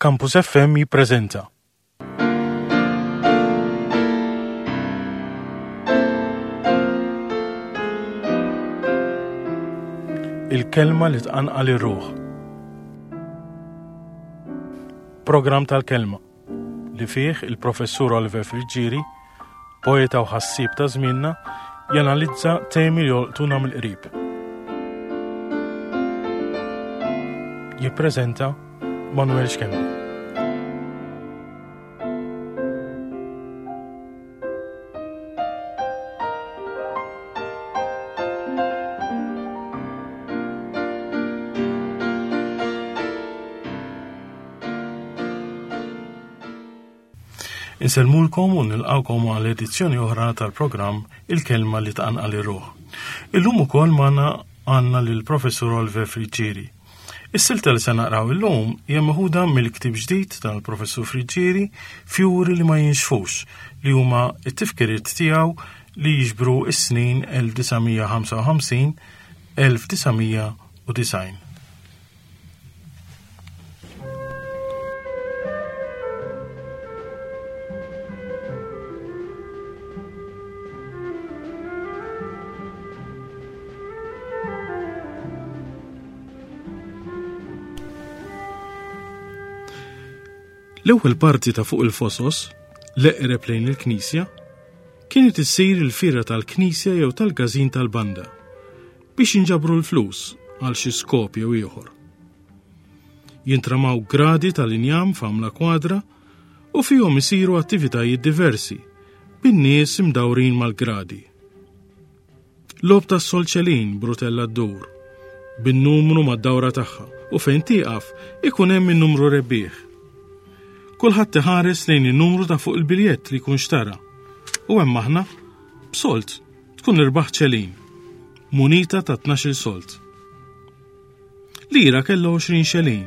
Campus FM jippreżenta. Il-kelma li tqanqal ir-ruħ. Programm tal-kelma li fih il-professur Oliver Friggieri, poeta u ħassieb ta' żmienna, janalizza temi li jolqtuna mill-qrib. Jippreżenta Manuel Schembri. Insellmulkom u nilqawkom għal edizzjoni oħra tal-programm Il-Kelma li tqanqal ir-ruħ. Illum ukoll magħna għandna lill-Professur Oliver Friggieri. Is-silta li se naqraw illum hija meħuda mill-ktieb ġdid tal-Professur Friggieri Fjuri li ma jinxfux li huma t-tifkiriet tiegħu li jiġbru s-snin 1955 1990. L-ewwel parti ta' fuq il-fosos, l-eqreb lejn il-knisja, kienet issir il-fiera tal-knisja jew tal-każin tal-banda biex jinġabru l-flus għal xi skop jew ieħor. Jintramaw gradi tal-injam f'għamla kwadra u fihom isiru attivitajiet diversi bin-nies imdawrin mal-gradi. Logħob tas-solċelin b'rutella ddur, bin-numru mad-dawra tagħha u fejn tieqaf ikun hemm in-numru rebbieħ. Kulħadd iħares lejn in-numru ta' fuq il-biljett li jkun xtara. U hemm aħna, b'solt, tkun irbaħ ċelin, munita ta' 12 solt. Lira kellha 20 xelin.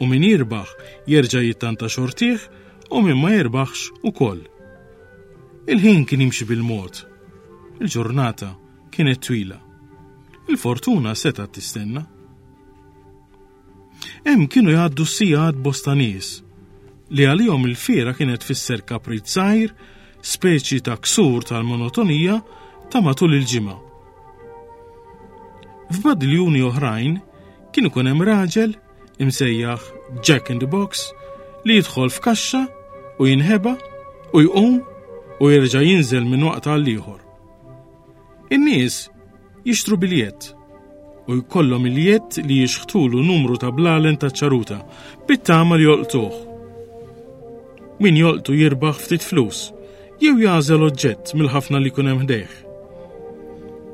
U min jirbaħ jerġa' jittanta xortih u min ma jirbaħx ukoll. Il-ħin kien jimxi bil-mod. Il-ġurnata kienet twila. Il-fortuna setgħet tistenna. Hemm kienu jgħaddu s-sigħat bosta nies li għalihom il-fiera kienet tfisser kaprit żgħir, speċi ta' ksur tal-monotonija ta' matul il-ġimgħa. F'badiljuni oħrajn kien ikun hemm raġel imsejjaħ Jack in the Box li jidħol f'kaxxa u jinħeba u jqum u jerġa' jinżel minn waqt għal ieħor. In-nies jixtru biljett u jkollhom il-jett li jixħtulu numru ta' blalen ta' ċaruta bit-tama li jolqtuh. Min jolqtu jirbaħ ftit flus jew jagħżel oġġett mill-ħafna li jkun hemm ħdejh.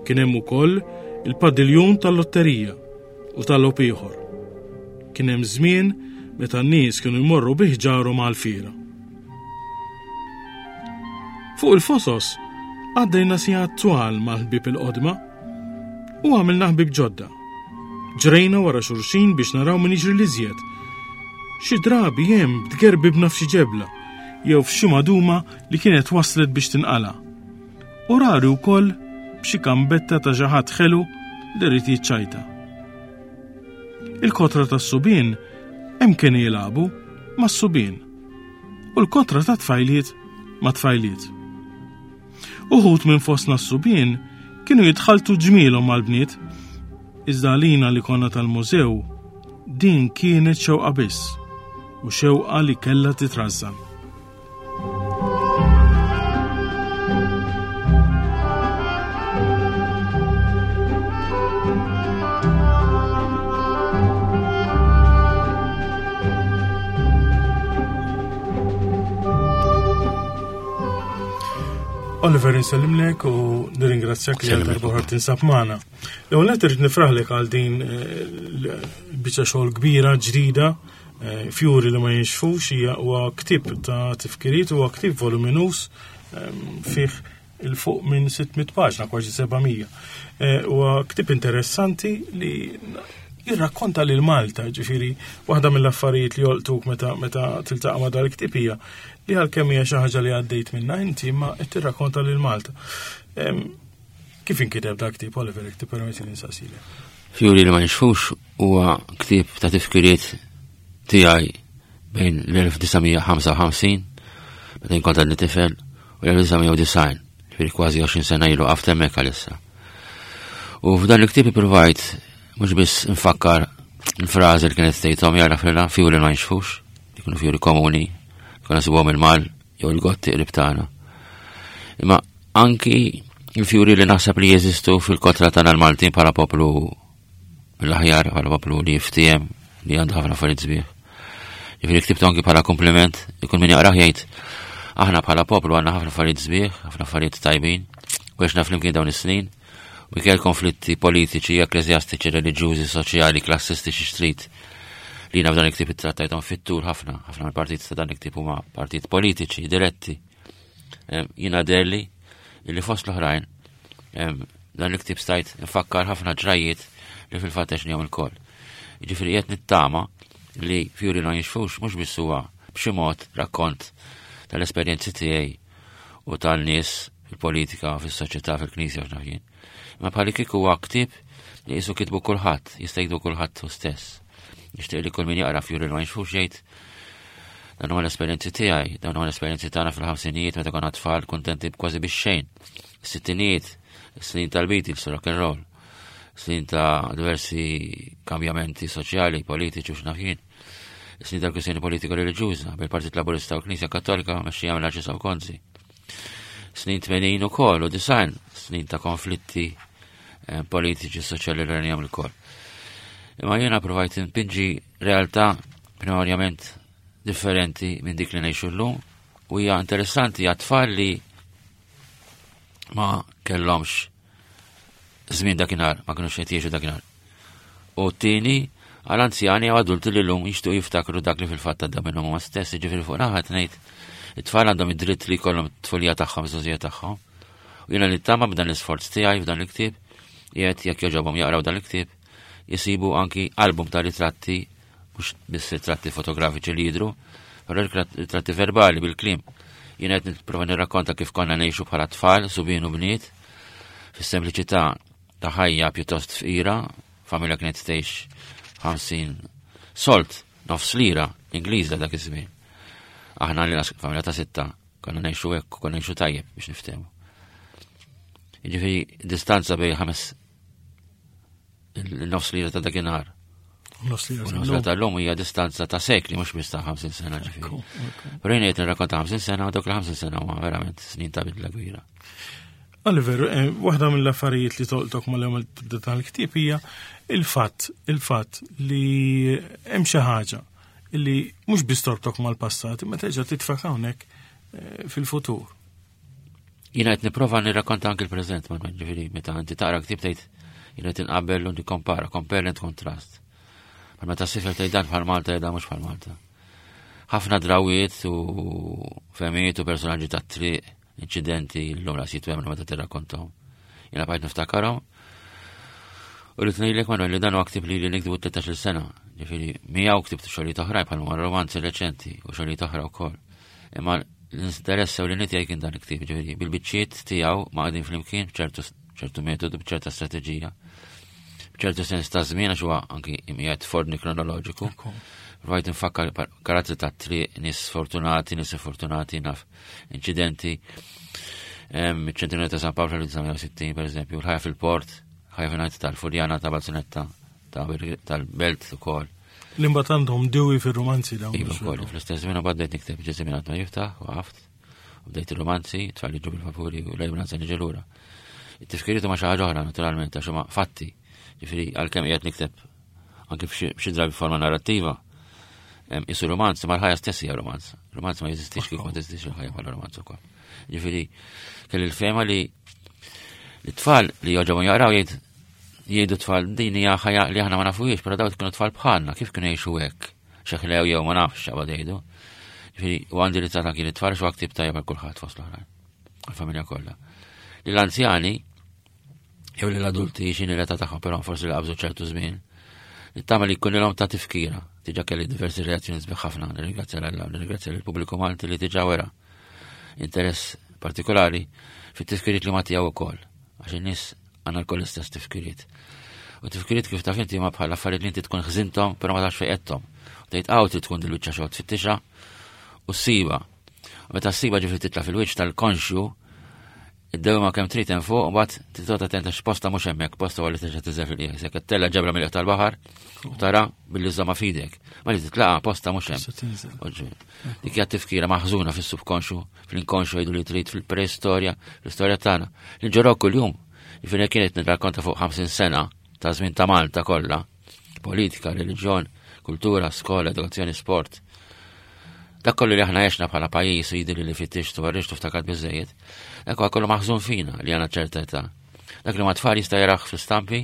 Kien hemm ukoll il-padiljun tal-lotterija u tal-logħob ieħor. Kien hemm żmien meta n-nies kienu jmorru bi ħġarhom għall-fiera. Fuq il-fosos għaddejna sigħat twal mal-ħbieb il-qodma u għamilna ħbieb ġodda. Ġrejna wara xulxin biex naraw min jiġri l-iżjed. Xi drabi hemm tgerbibna f'xi ġebla jew f'xi maduma li kienet waslet biex tinqala. U rari wkoll b'xi kambetta ta' xi ħadd ħelu li rrid jiċċajta. Il-kotra tas-subien hemm kienu jilagħbu mas-subien u l-kotra ta' tfajliet ma' tfajliet. Uħud minn fostna s-subien kienu jitħaltu ġmielhom mal-bniet, iżda għalina li konna tal-mużew din kienet xewqa biss u xewqa li kellha titrażżan. Oliver insellimlek u nirringrazzjak li għal darba tinsab magħna. L-ewwel qed irid nifraħlek għal din eh, biċċa xogħol kbira ġdida eh, fjuri li ma jinxfux hija huwa ktieb ta' tifkiriet huwa ktieb voluminus eh, fih il-fuq minn 600 paġna, kważi 700. Eh, huwa ktieb interessanti li jirrakkonta lil Malta, ġifieri waħda mill-affarijiet li jolqtuk meta meta tiltaqa' ma' dal-ktieb hija li għalkemm hija xi ħaġa li għaddejt minnha inti imma qed tirrakkonta lil Malta. Kif inkiteb dak ktieb Oliver, jekk tippermetti li nsaqsilek? Fjuri li ma nixfux huwa ktieb ta' tifkiriet tiegħi. bejn l-1955, meta jien kont għadni tifel, u l-1990, ġifieri kważi 20 sena ilu qaft hemmhekk għalissa. U f'dan il-ktieb ippruvajt mhux biss nfakkar il-frażi li kienet tgħid ommi jara frila fjuri ma jinxfux, jkunu fjuri komuni, jkunu nsibuhom il-mal jew il-gotti qrib tagħna. Imma anki il-fjuri li naħseb li jeżistu fil-kotra tagħna l-Maltin bħala poplu mill-aħjar bħala poplu li jiftiem li għandu ħafna affarijiet sbieħ. Ġifieri ktibtu anki bħala kompliment, ikun min jaqrah jgħid aħna bħala poplu għandna ħafna affarijiet sbieħ, ħafna affarijiet tajbin, u għexna flimkien dawn is-snin, u minkejja konflitti politiċi, ekkleżjastiċi, reliġjużi, soċjali, klassistiċi xtrid li jiena f'dan il-ktieb ittrattajthom fit-tul ħafna, ħafna mill-partit ta' dan il-ktieb huma partit politiċi diretti. Jiena derli li fost l-oħrajn dan il-ktieb stajt nfakkar ħafna ġrajiet li fil-fatt għexnihom ilkoll. Jiġifieri qed nittama li Fjuri ma jinxfux mhux biss huwa b'xi mod rakkont tal-esperjenzi tiegħi u tal-nies fil-politika, fis-soċjetà, fil-knisja x'naf jien. Imma bħali kieku huwa ktieb li qisu kitbu kulħadd, jista' jiktbu kulħadd hu stess. Nixtieq li kull min jaqra Fjuri ma jinxfux jgħid dan huma l-esperjenzi tiegħi, dawn huma l-esperjenzi tagħna fil-ħamsinijiet meta konna tfal kuntenti kważi bix-xejn. Sittinijiet, snin tal-Beatles, rock and roll, snin ta' diversi kambjamenti soċjali, politiċi u x'naf jien. Snin tal-kwistjoni politika reliġjuża bil-Partit Laburista u l-Knisja Kattolika mexxija mill Arċisqof Gonzi. Snin 80 ukoll u design, snin ta' konflitti eh, politiċi soċjali li rajnihom il-koll. Imma jiena provajt npinġi realtà primarjament differenti minn dik li ngħixu llum u hija interessanti għat-tfal li ma kellhomx żmien dakinhar, ma kinux qed jgħixu dakinhar. U t-tieni għal anzjani jew adulti li llum jixtiequ jiftakru dak li fil-fatt għadda minnhom huma stess, jiġifieri fuq naħa ngħid it-tfal għandhom id-dritt li jkollhom it-tfulija tagħhom, iż-żgħożija tagħhom. U jiena nittama b'dan l-isforz tiegħi f'dan il-ktieb, qiegħed jekk jogħġobhom jaqraw dan il-ktieb, jisibu anki album ta' ritratti mhux biss ritratti fotografiċi li jidhru, però ritratti verbali bil-kliem. Jien qed nipprova nirrakkonta kif konna ngħixu bħala tfal, subien u bniet, fis-sempliċità ta' ħajja pjuttost fqira, familja kienet tgħix 50 solt, nofs lira Ingliża dak iż-żmien. Aħna li familja ta' sitta konna ngħixu hekk, konna ngħixu tajjeb biex niftehmu. Jiġifieri distanza bejn ħames il-nofs lira ta' dakinhar. Nofs lira tal-lum hija distanza ta' sekli mhux biss ta' 50 sena ġifieri. Però jien qed nirrakkonta 50 sena u dawk il-50 sena huma verament snin ta' bidla kbira. Oliver, eh, waħda mill-affarijiet li tolqtok mal-ewwel tibda tal-ktieb hija il-fatt, il-fatt li hemm xi ħaġa li mhux biss torbtok mal-passat, imma terġa' titfak hawnhekk eh, fil-futur. Jiena qed nipprova nirrakkonta anki l-preżent, ma ġifieri meta inti taqra ktieb tgħid jiena qed inqabel u nikkompara, compare and contrast. Ma meta sifel tgħid dan bħal Malta jgħid mhux bħal Malta. Ħafna drawiet u femijiet u personaġġi tat-triq, inċidenti l-lum ras jitwemnu meta tirrakkontahom. Jiena bqajt niftakarhom. U li tnejlek Manuel li dan huwa ktib li li nikdbu 13 sena. Ġifieri miegħu ktibt xogħlijiet oħrajn bħal romanzi reċenti u xogħlijiet oħra wkoll. Imma l-interess u l-initi kien dan il-ktieb, ġifieri bil-biċċiet tiegħu ma qegħdin flimkien b'ċertu ċertu metodu, b'ċerta strateġija, b'ċertu sens ta' żmien għax huwa anki imqiegħed f'ordni kronoloġiku. Rajt nfakkar karattri ta' triq, nies fortunati, nies fortunati, naf inċidenti. Ċentinarju ta' San Pawl fl-1960, per eżempju, l-ħajja fil-port, ħajja fil tal-Furjana ta' Balzunetta, tal-Belt ukoll. Li mbagħad għandhom diwi fir-romanzi dawn. Iva wkoll, fl-istess żmien mbagħad bdejt nikteb ġie żmien għad ma jiftaħ, waqaft, u bdejt ir-romanzi, tfal jiġu bil-vapuri u lejn romanzi niġi lura. It-tifkiriet huma xi ħaġa oħra naturalment għax huma fatti. Ġifieri għalkemm qiegħed nikteb anke f'xi drabi forma narrattiva, isu romanz, ma l-ħajja stess hija romanz. Romanz ma jeżistix kif ma teżistix il-ħajja bħala romanz ukoll. Ġifieri kelli l-fema li l-tfal li joġobhom jaqraw jgħid Jgħidu tfal din hija ħajja li aħna ma nafuhiex, però dawk kienu tfal bħalna, kif kienu jgħixu hekk? Xeħlew jew ma nafx x'qabad jgħidu. Ġifieri u għandi li tagħta kien it-tfal xi ktib tajjeb għal kulħadd fost l-oħrajn. Għall-familja kollha. Li l-anzjani jew li l-adulti x'inhi l-età tagħhom, però forsi li qabżu ċertu żmien. Nittama li jkun ilhom ta' tifkira. Diġà kelli diversi reazzjoni sbieħ ħafna, nirringrazzja l-Alla, nirringrazzja lill-pubbliku Malti li diġà wera interess partikolari fit-tifkiriet li ma tiegħu wkoll. Għax in-nies Għandna lkoll l-istess tifkiriet. U tifkiriet kif taf inti ma bħal affarijiet li inti tkun ħżinthom, però ma tafx fejn qedthom. Tgħid hawn trid tkun dil-biċċa xogħol tfittixha u ssiba. U meta ssiba ġifieri titla' fil-wiċċ tal-konxju, id-dewma kemm trid hemm fuq, mbagħad titgħod attent għax posta mhux hemmhekk, posta huwa li terġa' tiżel fil-qiegħ. Se tella ġebra mill tal-baħar u tara billi żomma f'idek. Ma li titlaqa posta mhux hemm. Dik hija tifkira maħżuna fis-subkonxu, fl-inkonxu jgħidu li trid fil-preistorja, fl-istorja tagħna. Li ġorok kuljum. Jiġifieri kienet nirrakkonta fuq 50 sena ta' żmien ta' Malta kollha politika, reliġjon, kultura, skola, edukazzjoni, sport. Dak kollu li aħna għexna bħala pajjiż u jidhirli li fittixtu għarriġtu ftakar biżejjed, dak huwa kollu maħżun fina li għandna ċerta età. Dak li ma tfal jista' jaraħ fl-istampi,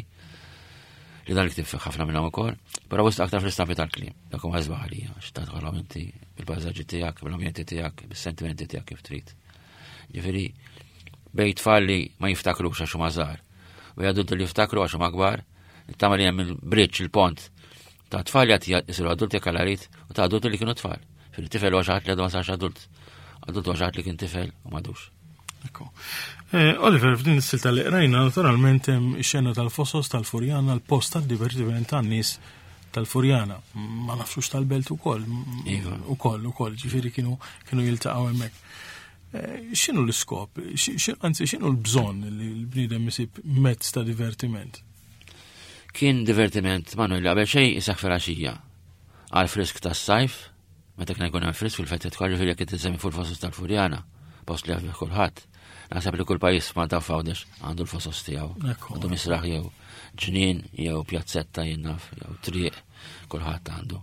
li dan li ħafna minnhom ukoll, però wisq aktar fl-istampi tal-kliem. Dak huwa sbaħ għalija, x'ta tħollhom inti bil-pajsaġġi tiegħek, bil-ambjenti tiegħek, bis-sentimenti tiegħek kif trid. Ġifieri bejn tfal li ma jiftakrux għax huma żgħar u adulti li jiftakru għax huma kbar, Nittama li hemm il-bridge, il-pont ta' tfal li għati jisiru adulti jekk għal u ta' adulti li kienu tfal. Fil-tifel u għaxħat li għadu ma sarx adult. Adult u għaxħat li kien tifel u madux. Ekku. Eh, Oliver, f'din is-silta li qrajna, naturalment hemm ix-xena tal-fosos tal-Furjana, l-post tad-divertiment tan-nies tal-Furjana. Ma nafxux tal-belt ukoll. Iva. Ukoll, ukoll, ġifieri kienu kienu jiltaqgħu hemmhekk. Eh, x'inhu l-iskop? Anzi, x'inhu l-bżonn li l-bniedem isib mezz ta' divertiment? Kien divertiment, Manuel, qabel xejn isaħ filgħaxija. Għal frisk tas-sajf, meta kien jkun hemm frisk fil-fettet kollu fil jekk tisemmi fuq il-fosos tal-Furjana, post li għafih kulħadd. Naħseb li kull pajjiż f'Malta f'Għawdex għandu l-fosos tiegħu. Għandu misraħ jew ġnien jew pjazzetta jien naf jew triq kulħadd għandu.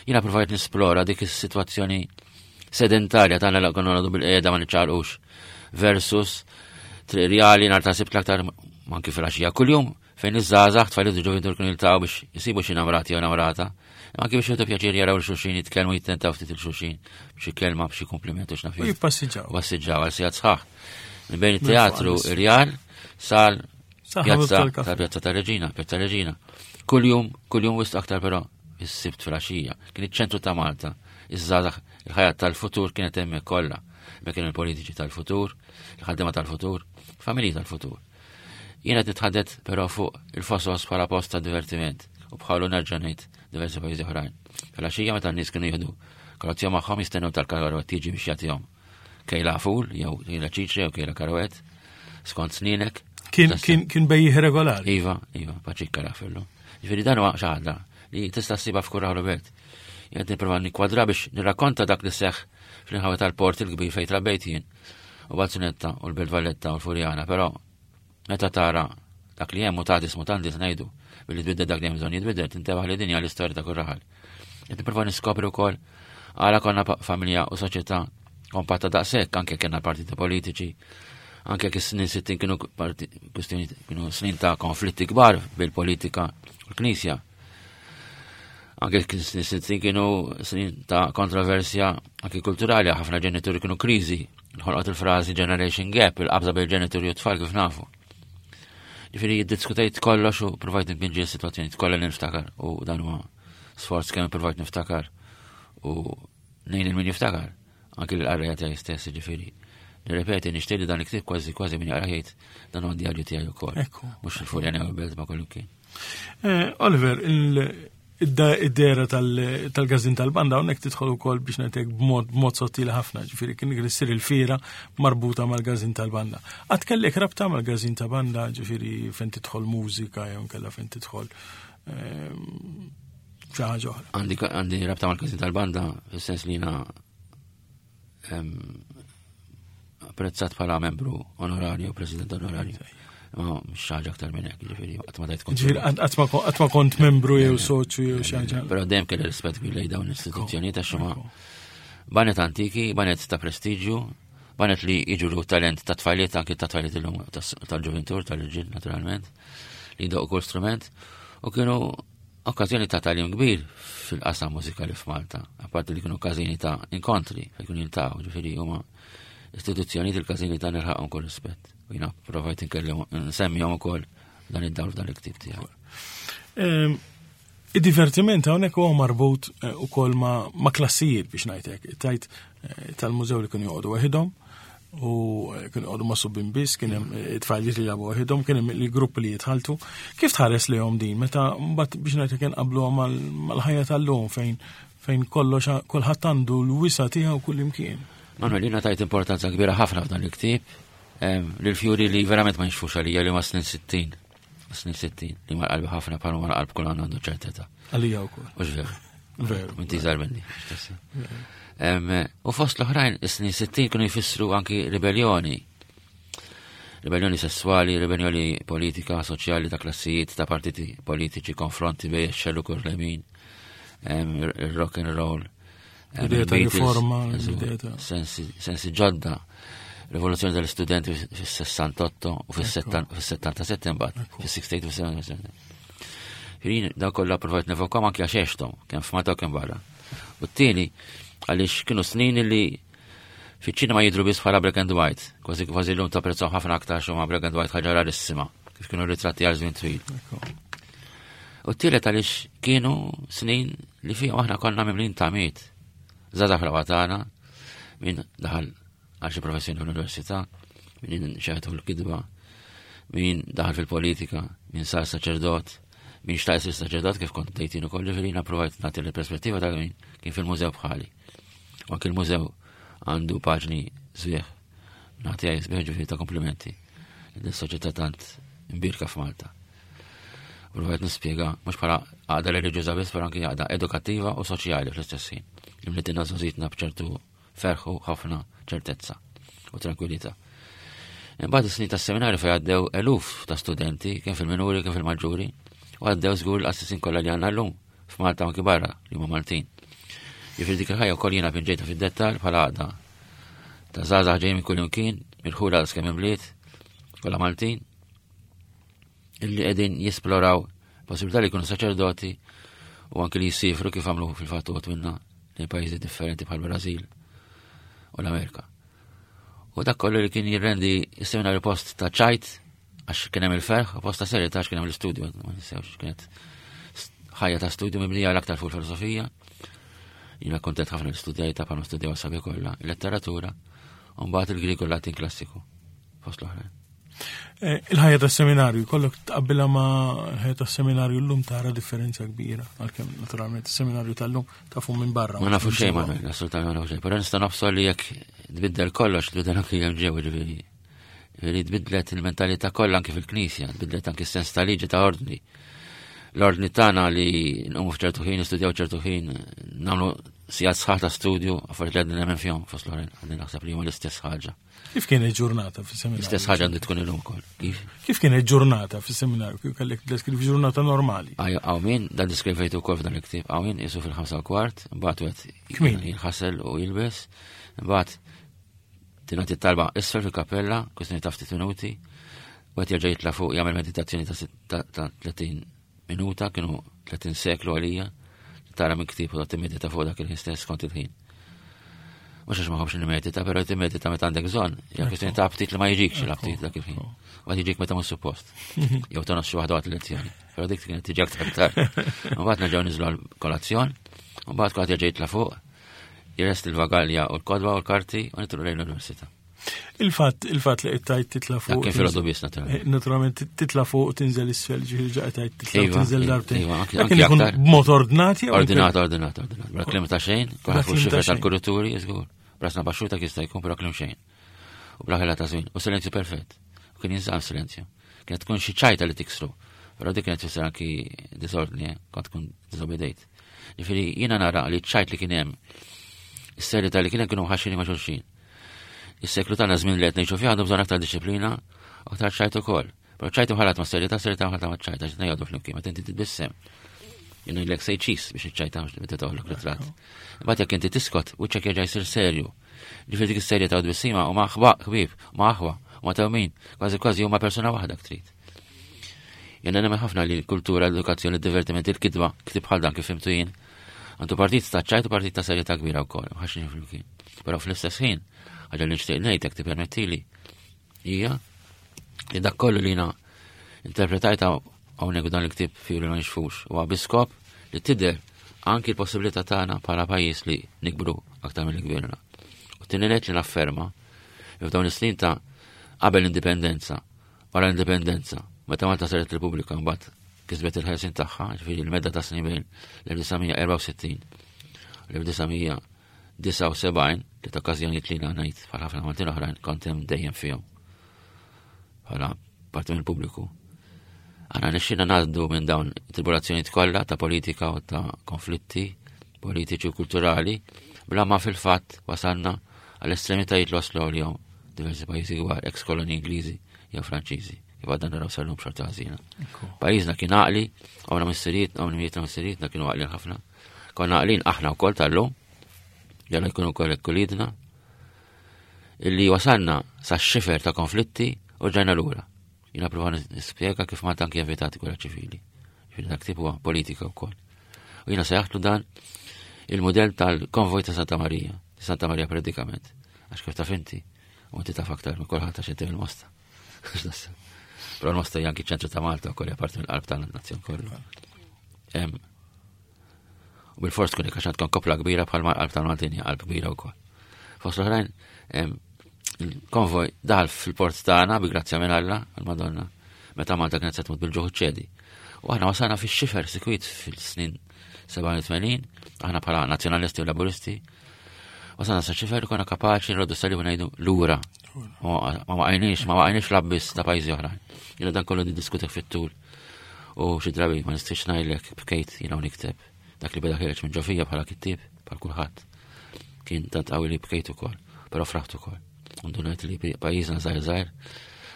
Jiena provajt nisplora dik is-sitwazzjoni sedentarja tagħna li konna nagħdu bil-qiegħda ma niċċaqlqux versus triq rjali nhar ta' sibt l-aktar anki fil-għaxija kuljum fejn iż-żgħażagħ tfal ġovin kienu jiltaqgħu biex jisibu xi namrati jew namrata. Anki biex jieħdu pjaċir jaraw l-xulxin jitkellmu jittentaw ftit il-xulxin b'xi kelma b'xi kumpliment u x'naf. U jippassiġġaw. Passiġġaw għal sigħat sħaħ. Minn bejn it-teatru Irjal sal pjazza ta' pjazza ta' Reġina, pjazza Reġina. Kuljum, kuljum wisq aktar però is-sibt fil-għaxija. Kien iċ-ċentru ta' Malta. Iż-żgħażagħ il-ħajja tal-futur kienet hemmhekk kollha. Hemmhekk kienu l-politiċi tal-futur, il-ħaddiema tal-futur, familji tal-futur. Jiena qed nitħaddet però fuq il-fosos bħala post ta' divertiment u bħalu nerġa' ngħid diversi pajjiżi oħrajn. Fil-għaxija meta n-nies kienu jieħdu kolazzjon magħhom jistennew tal-karwet tiġi biex jagħtihom kejla ful jew kejla ċiċri jew kejla karwet skont sninek. Kien kien kien bejjih regolari. Iva, iva, paċikka rafillu. Ġifieri dan huwa xi ħaġa li tista' ssibha f'kull raħlu belt. Jien nipprova nikkwadra biex nirrakkonta dak li seħħ fl-inħawi tal-port il-kbir fejn trabbejt jien u Bazzunetta u l-Belt Valletta u l-Furjana, però meta tara dak li hemm mutatis mutandis ngħidu billi tbiddel dak li hemm bżonn jitbiddel tintebaħ li dinja l-istorja ta' kull raħal. Qed nipprova niskopri wkoll għala konna familja u soċjetà kompatta daqshekk anke kellna partiti politiċi, anke jekk is-snin 60 kienu kwistjoni kienu snin ta' konflitti kbar bil-politika u l-Knisja. Anke snin 60 kienu snin ta' kontroversja anke kulturali, ħafna ġenituri kienu kriżi, nħolqot il-frażi generation gap, il-qabża bejn ġenituri u tfal kif nafu. Ġifieri jiddiskutejt kollox u provajt npinġi s-sitwazzjoni kollha li niftakar u dan huwa sforz kemm provajt niftakar u nejn il-min jiftakar. Anki l-qarrejja tiegħi stess, ġifieri. Nirrepeti, nixtieq li dan il-ktieb kważi kważi min jaqra jgħid dan huwa djarju tiegħi wkoll. Mhux il-Furjana jew il-belt ma kollu kien. Eh, Oliver, id-dera tal-gazin tal-banda hawnhekk tidħol ukoll biex ngħidlek b'mod sottili ħafna, ġifieri kien issir il-fiera marbuta mal-gazin tal-banda. Qatt kellek rabta mal-gazin ta' banda, ġifieri fejn tidħol mużika jew nkella fejn tidħol ehm, xi ħaġa oħra. Għandi rabta mal-gazin tal-banda fis-sens li jiena apprezzat bħala membru onorarju, president onorarju. Ma mhux ħaġa aktar minn hekk, ġifieri qatt ma tajt kont. Ġifieri qatt ma kont membru jew soċju jew xi ħaġa. Però dejjem kelli rispett kbir lejn dawn l-istituzzjonijiet għax huma banet antiki, banet ta' prestiġju, banet li jiġu talent ta' tfajliet anki ta' tfajliet illum tal-ġuventur, tal-irġiel naturalment, li jdoqqu kull strument u kienu Okkażjoni ta' tagħlim kbir fil-qasam mużikali f'Malta, apparti li kienu każini ta' inkontri fejn kienu jiltaqgħu, ġifieri huma istituzzjonijiet il-każini ta' nilħaqhom kull rispett. U jiena provajt inkellem nsemmihom ukoll dan id-dawl f'dan il-ktieb tiegħi. Ehm, id-divertiment hawnhekk huwa marbut eh, ukoll ma' klassijiet biex ngħidlek. Tajt eh, tal-mużew li kienu joqogħdu waħidhom. U kienu għadu ma' subbin biss, kien hemm it-tfajliet li jabu waħidhom, kien hemm il-gruppi li jitħaltu. Kif tħares lejhom din meta mbagħad biex ngħid kien qablu mal-ħajja tal-lum fejn fejn kollox kulħadd għandu l-wisa tiegħu kull imkien. Manuel, jiena tajt importanza kbira ħafna f'dan il-ktieb lil-fjuri li verament ma jinxfux għalija li ma snin 60. Snin 60, li ma qalbi ħafna bħal ma qalb kull għandu ċerteta. Għalija wkoll. Mhux veru. Veru. Inti żgħar minni. U fost l-oħrajn, is-snin 60 kienu jfissru anki ribellioni. Ribellioni sessuali, ribellioni politika, soċjali ta' klassijiet, ta' partiti politiċi, konfronti bej xellu kur lemin, il-rock and roll. Ideja ta' riforma, ideja ta' sensi ġodda. Rivoluzzjoni tal-istudenti fis-68 u fis-77 mbagħad, fis-68 u fis-77. Jien daw kollha provajt nevokom anki għax għexthom, kemm f'Malta u kemm barra. U t-tieni għaliex kienu snin li fiċ-ċinema jidhru biss bħala black and white, kważi kważi llum tapprezzaw ħafna aktar xi huma black and white ħaġa rarissima, kif kienu ritratti għal żmien twil. U t-tielet għaliex kienu snin li fihom aħna konna mimlin tamiet. Żgħażagħ fl-aqwa tagħna, min daħal għal xi professjoni fl-università, min xeħtu l-kidba, min daħal fil-politika, min sar saċerdot, min xtaq isir saċerdot kif kont dejtin ukoll, ġifieri jiena provajt nagħti l-perspettiva ta' min kien fil-mużew bħali. U anki l-mużew għandu paġni sbieħ, nagħti għaj sbieħ ġifieri ta' komplimenti. L-soċjetà tant imbirka f'Malta. Provajt nispjega mhux bħala għaqda reliġjuża biss, però anki għaqda edukattiva u soċjali fl-istess ħin. Li mlitina żgħożitna b'ċertu ferħ u ħafna ċertezza u tranquillità. Imbagħad is-snin tas-seminarju fejn għaddew eluf ta' studenti, kemm fil-minuri kemm fil-maġġuri, u għaddew żgur l-qassisin kollha li għandna llum f'Malta anki barra li huma Maltin. Jiġifieri dik il-ħajja wkoll jiena pinġejta fid-dettall bħala għaqda ta' żgħażagħ ġejjin minn kull imkien, mill-ħula kemm imbliet, kollha Maltin, illi qegħdin jisploraw possibilità li jkunu saċerdoti u anki li jisifru kif għamlu fil-fatt uħud minna lejn pajjiżi differenti bħal Brażil u l-Amerika. U dak kollu li kien jirrendi s-seminarju post ta' ċajt għax kien hemm il-ferħ u post ta' serjetà għax kien hemm l-istudju, ma ninsewx kienet ħajja ta' studju mibnija l-aktar fuq il-filosofija. Jiena kontent ħafna l-istudjajta bħalma studjaw sabi kollha, il-letteratura, u mbagħad il-Grieg u l-Latin klassiku fost l-oħrajn. Eh, il-ħajja tas seminarju, kollok tqabbilha ma' l-ħajja tas seminarju llum tara differenza kbira, għalkemm naturalment is-seminarju tal-lum tafu minn barra. Ma nafu xejn, ma assolutament ma nafu xejn, però nista' nofsor li jekk tbiddel kollox, tbiddel anki hemm ġew ġifieri. Ġifieri tbiddlet il-mentalità kollha anki fil-knisja, tbiddlet anki s-sens ta' liġi ta' ordni. L-ordni tagħna li nqumu f'ċertu ħin, nistudjaw ċertu ħin, nagħmlu sigħat sħaħ ta' studju, affarijiet li għadni nemmen fihom fost l-oħrajn, għadni naħseb li huma l-istess ħaġa. Kif kienet ġurnata fis-seminarju? L-istess ħaġa għandu tkun illum ukoll. Kif? Kif kienet ġurnata fis-seminarju? Kif kellek deskrivi ġurnata normali? Għaw min, dan deskrivejtu wkoll f'dan il-ktieb, għaw min isu fil-5 kwart, mbagħad wieħed jinħasel u jilbes, mbagħad tingħati talba isfel fil-kappella, kwistjoni ta' ftit minuti, u qed jerġa' jitla' fuq jagħmel meditazzjoni ta' 30 minuta, kienu 30 seklu għalija, tara minn ktieb u timmedita fuq dak il-ħin stess kont il-ħin. Mhux għax ma ħobx nimmedita, però timmedita meta għandek bżonn, hija kwestjoni ta' aptit li ma jiġikx l-aptit dak il-ħin. Ma jiġik meta mhux suppost. Jew tonos xi waħda waqt il-lezzjoni. Però dik kienet tiġi aktar tard. Mbagħad nerġgħu niżlu għall-kolazzjon, mbagħad kulħadd jerġa' jitla' fuq, jirest il-vagalja u l-kodba u l-karti u nitlu lejn l-università. Il-fatt il-fatt li qed tgħid titla' fuq. Kien filgħodu biss naturalment. Eh, naturalment titla' fuq tinżel isfel ġifieri ġa qed tgħid titla' iva, tinżel iva, darbtejn. Iva, anki Dak kien ikun aktar. b'mod ordnat jew Ordinat, ordinat, ordinat. Bla klim ta' xejn, Bla kulħadd fuq kliem ta' xifra xejn. tal-kurituri, żgur. Brasna baxxuta jista' jkun però klim xejn. U bla ħela ta' żmien. U silenzju perfett. U kien jinżamm silenzju. Kienet tkun xi ċajta li tiksru. Però dik kienet tfisser anki disordni, eh, kont tkun disobedejt. Ġifieri jiena nara li ċajt li kien hemm, is-serjetà li kien hemm kienu ħaxini ma' xulxin. Is-seklu tagħna żmien li qed ngħixu fih għandu bżonn aktar disċiplina, aktar ċajt ukoll. Però ċajt imħallat ma' serjetà, serjetà imħallat ma' ċajt, għax ngħidu flimkien, meta inti titbissem. Jien ngħidlek say cheese biex iċ-ċajta meta toħlok ritratt. Imbagħad jekk inti tiskot, wiċċek jerġa' jsir serju. Ġifieri dik is-serjetà u tbissima huma ħbieb, huma aħwa, huma tewmin, kważi kważi huma persuna waħda trid. Jena nemmen ħafna li l-kultura, l-edukazzjoni, il-divertiment, il-kitba, ktib bħal dan kif fimtu jien, għandu partit ta' ċajt u partit ta' serjetà kbira wkoll, ħaxin flimkien. Però fl-istess ħin, ħaġa li nixtieq ngħid jekk tippermettili, hija li dak kollu li jiena interpretajta hawnhekk dan il-ktieb fjuri ma nixfux huwa bi skop li tidher anki l-possibilità tagħna bħala pajjiż li nikbru aktar milli kbirna. U tieni li nafferma. F'dawn is-snin ta' qabel l-indipendenza, wara l-indipendenza, meta Malta saret Repubblika mbagħad kisbet il-ħelsin tagħha, ġifieri l-medda ta' snin bejn l-1964 l-1979 li ta' okkażjonijiet li ngħid bħal ħafna Maltin oħrajn kont hemm dejjem fihom. Bħala parti mill-pubbliku. Għana nixxina ngħaddu minn dawn tribulazzjonijiet kollha ta' politika u ta' konflitti politiċi u kulturali bla ma fil-fatt wasalna għall-estremitajiet li waslu għal-jom diversi pajjiżi kbar, ex koloni Ingliżi jew Franċiżi, kif għadna naraw sal-lum xorta ħażina. Pajjiżna kien għaqli, għamna missiriet, għamna mietna missirietna kienu għaqlin ħafna. Konna għaqlin aħna wkoll tal-lum, jalla jkunu wkoll kulidna, illi wasalna sa xifer ta' konflitti u ġajna lura. Jina prova nispjega kif Malta anki evitati gwerra ċivili. Ġifieri dak tip huwa politika wkoll. U jiena sejjaħtlu dan il-modell tal-konvoj ta' Santa Marija, Santa Marija predikament. Għax kif taf inti, u inti taf aktar minn kulħadd għax inti mill-Mosta. Però l-Mosta hija anki ċentru ta' Malta wkoll hija parti mill-qalb tal-nazzjon kollu. U bil-fors tkun għax għandkom kopla kbira bħal qalb tal-Maltin hija qalb kbira wkoll. Fost l-oħrajn, il-konvoj daħal fil-port tagħna bi grazzja minn Alla, għal-Madonna, meta Malta kienet se tmut bil-ġuħ ċedi. U aħna wasalna fix-xifer sikwit fil-snin 87, aħna bħala nazzjonalisti u laburisti, wasalna sa xifer konna kapaċi nroddu salib u ngħidu lura. Ma waqajniex, ma waqajniex l-abbis ta' pajjiżi oħrajn. Jiena dan kollu niddiskutek fit-tul. U xi drabi ma nistax ngħidlek bkejt jiena u nikteb. Dak li beda ħireġ minn ġofija bħala kittieb bħal kulħadd. Kien tant qawwi li bkejt ukoll, però fraħt ukoll. Ndunajt li pajjiżna żgħir żgħir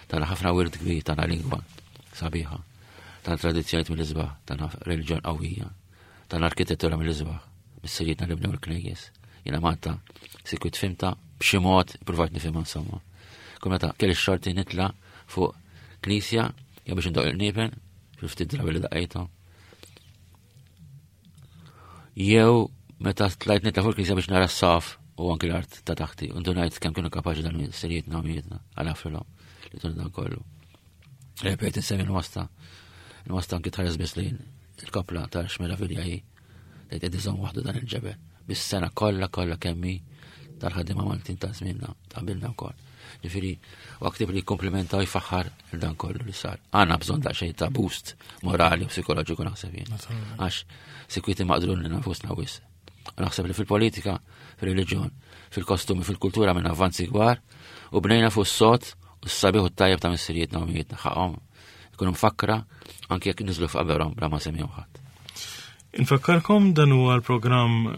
tana ħafna wirt kbir tana lingwa sabiħa, tana tradizzjonijiet mill-isbaħ, tana reliġjon qawwija, tana arkitettura mill-isbaħ, missirietna li bnew il-knejjes. Jiena Malta sikwit fimta b'xi mod provajt nifhimha insomma. Kull meta kelli x-xorti nitla' fuq knisja jew biex indoq il-qniepen, fil-ftit drabi li daqqejthom. Jew meta tlajt nitla' fuq il-knisja biex nara s-saf u anki l-art ta' taħti, u ndunajt kemm kienu kapaċi dan missirietna u mietna għal għafrilhom li tun dan kollu. Repet insemmi l-wasta, l-wasta anki tħares biss lejn il-kopla ta' x'meravilja hi, tgħid qed iżomm waħdu dan il-ġebel. Bis-sena kollha kollha kemm hi tal-ħaddiema Maltin ta' żmienna ta' qabilna wkoll. Ġifieri, u ktib li jikkumplimenta u jfaħħar dan kollu li sar. Għandna bżonn daqsxejn ta' boost morali u psikoloġiku naħseb jien. Għax sikwiti maqdrun li nafusna wis. U naħseb li fil-politika, fil-reliġjon, fil-kostumi, fil-kultura minn avvanzi kbar u bnejna fuq s-sod u s-sabiħ u t-tajjeb ta' missirijietna u mijietna ħaqhom ikunu mfakkra anki jekk niżlu f'qaberhom bla ma semmihom ħadd. Infakkarkom dan huwa l-programm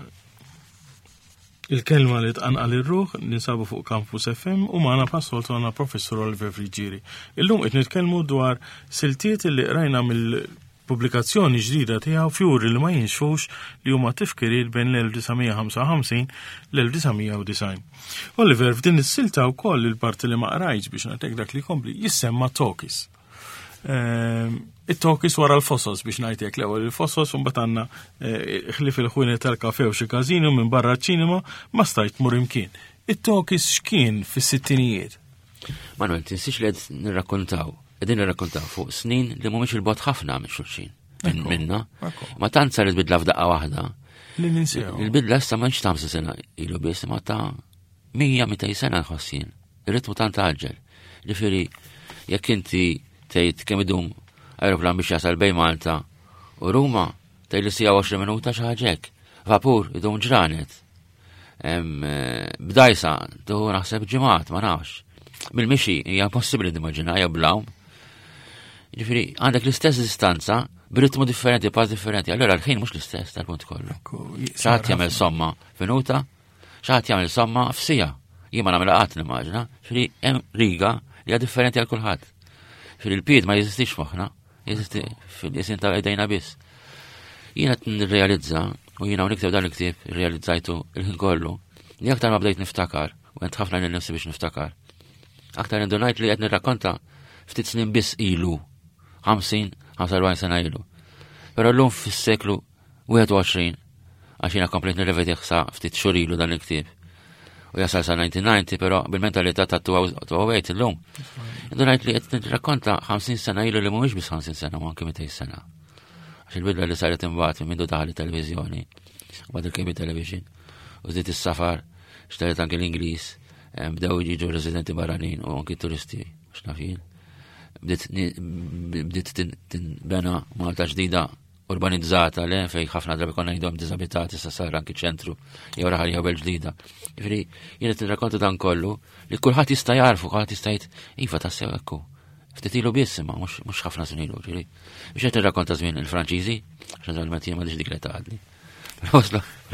Il-kelma li tqanqal ir-ruħ ninsabu fuq Campus FM u magħna bħas-soltu għandna Professur Oliver Friggieri. Illum qed nitkellmu dwar siltiet li qrajna mill-pubblikazzjoni ġdida tiegħu Fjuri li ma jinxfux li huma tifkiriet bejn l-1955 l-1990. Oliver, f'din is-silta wkoll il-parti li ma qrajtx biex nagħtek dak li jkompli jissemma Tokis. It-tokis wara l-fosos biex ngħidlek l-ewwel il-fosos u mbagħad għandna eh, ħlif il-ħwienet tal-kafe u xi każinu minn barra ċ-ċinema ma stajt tmur imkien. It-tokis x'kien fis-sittinijiet? Manuel, tinsiex li qed nirrakkontaw, qegħdin nirrakkontaw fuq snin li mhumiex il-bot ħafna minn xulxin. Minna. Ma tant saret bidla f'daqqa waħda. Li ninsew. Il-bidla issa ma ta' sena ilu biss, ma ta' 100-200 sena nħossin. Ir-ritmu tant għaġġel. Ġifieri, jekk inti tgħid kemm idum aeroplan biex jasal bejn Malta u Ruma, tgħid li sija 20 minuta xi ħaġa hekk. Vapur idum ġranet. Eh, b'dajsa tuħu naħseb ġimgħat, ma nafx. Bil-mixi hija impossibbli nimmaġina jew blawm. Ġifieri, għandek l-istess distanza b'ritmu differenti, pass differenti. Allora l-ħin mhux l-istess tal-punt kollu. Xi jagħmel somma f'minuta, Xi ħadd jagħmel somma f'sija. Jien ma nagħmilha qatt nimmaġina. Ġifieri hemm riga li hija differenti għal kulħadd. Ġifieri l-pied ma jeżistix moħħna, jeżisti fil-jisin ta' idejna biss. Jiena qed nirrealizza u jiena nikteb dan il-ktieb irrealizzajtu il-ħin kollu li aktar ma bdejt niftakar u għent ħafna lil nifsi biex niftakar. Aktar indunajt li qed nirrakkonta ftit snin biss ilu, 50, 45 sena ilu. Però llum fis-seklu 21, għax jiena komplejt nirrevedih sa ftit xhur ilu dan il-ktieb. U jasal sa 1990, però bil-mentalità ta' 2008 illum. Indunajt li qed nirrakkonta 50 sena ilu li mhumiex biss 50 sena, ma anke 200 sena. Għax il-bidla li saret imbagħad minn mindu daħal it-televiżjoni, u bad il-cable television, u żdiet is-safar, xtaret anke l-Ingliż. Bdew jiġu residenti barranin u anki turisti, x'naf jien. Bdiet tinbena Malta ġdida urbanizzata le fej ħafna drabi konna ngħidhom diżabitati sa sar anki ċentru jew raħal jew belt ġdida. Jiġifieri jien qed nirrakkonta dan kollu li kulħadd jista' jarfu, kulħadd jista' jgħid iva tassew hekk hu. Ftit ilu biss imma mhux ħafna snin ilu, ġifieri. Biex qed nirrakkonta żmien il-Franċiżi, għax naturalment jien m'għandix dik l-età għadni.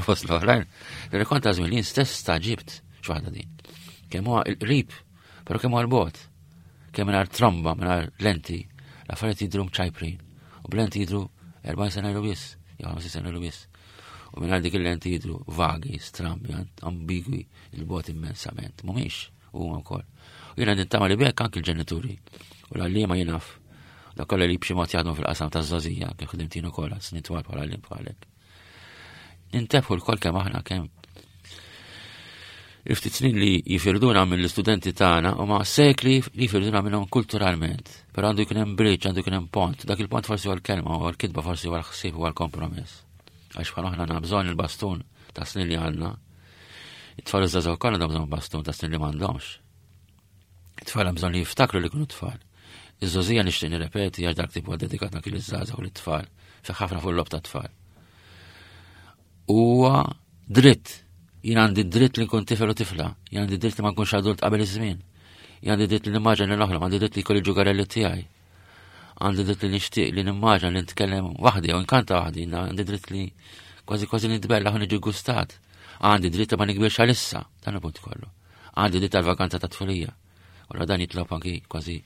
Fost l-oħrajn, nirrakkonta żmien li jien stess staġibt x'waħda din. Kemm huwa il-qrib, però kemm huwa l-bogħod. Kemm mingħajr tromba, mingħajr lenti, l-affarijiet jidhru mċajprin. U b'lenti jidhru 40 sena ilu biss, jew 50 sena ilu biss. U mingħajr dik il-lenti jidhru vagi, strambi, ambigwi, il-bogħod immensament. Mhumiex huma wkoll. U jiena nittama li bekk anki l-ġenituri u l-għalliema jinaf dak kollha li b'xi mod jaħdmu fil-qasam taż-żgħożija kif ħdimt jien ukoll għal snin twal bħala għalliem bħalek. Nintebħu l-kol kemm aħna kemm il-ftit snin li jifirduna mill-istudenti tagħna huma sekli li jifirduna minnhom kulturalment. Però għandu jkun hemm bridge, għandu jkun hemm pont. Dak il-pont forsi huwa l-kelma, huwa l-kitba, forsi huwa l-ħsieb, huwa l-kompromess. Għax bħal aħna għandna bżonn il-bastun ta' snin li għandna. It-tfal iż-żgħażagħ ukoll għandhom bżonn bastun ta' snin li m'għandhomx. It-tfal hemm bżonn li jiftakru li kienu tfal. Iż-żgħożija nixtieq nirrepeti għax dak tipu dedikat anki liż-żgħażagħ u lit-tfal, fi ħafna fuq l-lob ta' tfal. Huwa dritt. Jien għandi dritt li nkun tifel u tifla, jien għandi dritt li ma nkunx adult qabel iż-żmien. Jien għandi dritt li nimmaġina li noħlom, għandi dritt li jkolli ġugarelli tiegħi. Għandi dritt li nixtieq li nimmaġina li nitkellem waħdi jew nkanta waħdi, għandi dritt li kważi kważi nitbella u niġi gustat. Għandi dritt li ma nikbirx għalissa, dan il-punt kollu. Għandi dritt għal-vakanza ta' tfulija. Ora dan jitlob anki kważi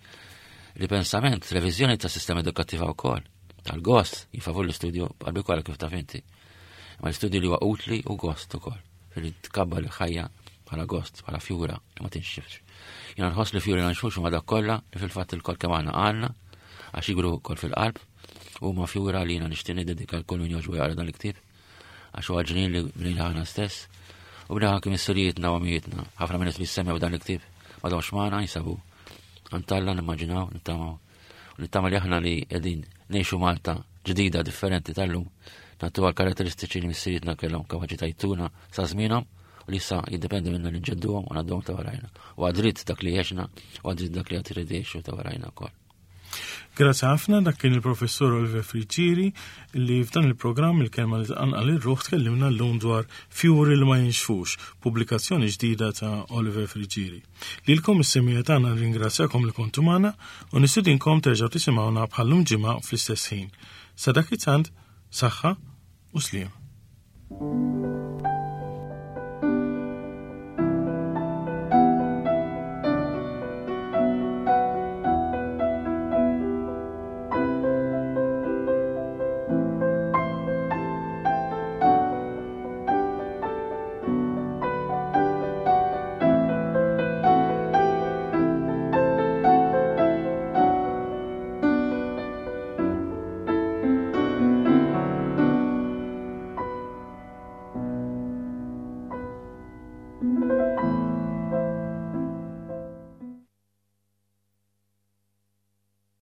ripensament, reviżjoni tas sistema edukattiva wkoll, tal-gost, jifavur l-istudju qalbi kollha kif taf inti. Ma l-istudju li huwa utli u gost ukoll, li tkabbar il-ħajja bħala gost, bħala fjura li ma tinxifx. Jiena nħoss li fjuri nxux huma dak kollha li fil-fatt il-kol kemm aħna għandna għax jikbru wkoll fil-qalb huma fjura li jiena nixtieq niddedika l-kull min jogħġbu jaqra dan il-ktieb għax huwa ġnien li bnejna aħna stess u bnejna anki missirijietna u għamijietna. Ħafna minn li semmew dan il-ktieb m'għadhomx magħna jinsabu għand nimmaġinaw, nittamaw. U nittama li aħna li qegħdin ngħixu Malta ġdida differenti tal-lum nagħtu għal karatteristiċi li missirijietna kellhom kapaċità jtuna sa żmienhom u li issa jiddependi minna li nġedduhom u ngħadduhom ta' warajna. U għadrit dak li għexna u għadrit dak li għad irid jgħixu ta' warajna wkoll. Grazzi ħafna dak kien il-professur Oliver Friggieri li f'dan il-programm il-kelma li tqanqal ir-ruħ tkellimna llum dwar Fjuri li ma jinxfux, pubblikazzjoni ġdida ta' Oliver Friggieri. Lilkom is-semija tagħna nirringrazzjakom li kontu magħna u nistidinkom terġgħu tisimgħuna bħallum ġimgħa fl-istess ħin. Sa dak it-tant, saħħa u sliem.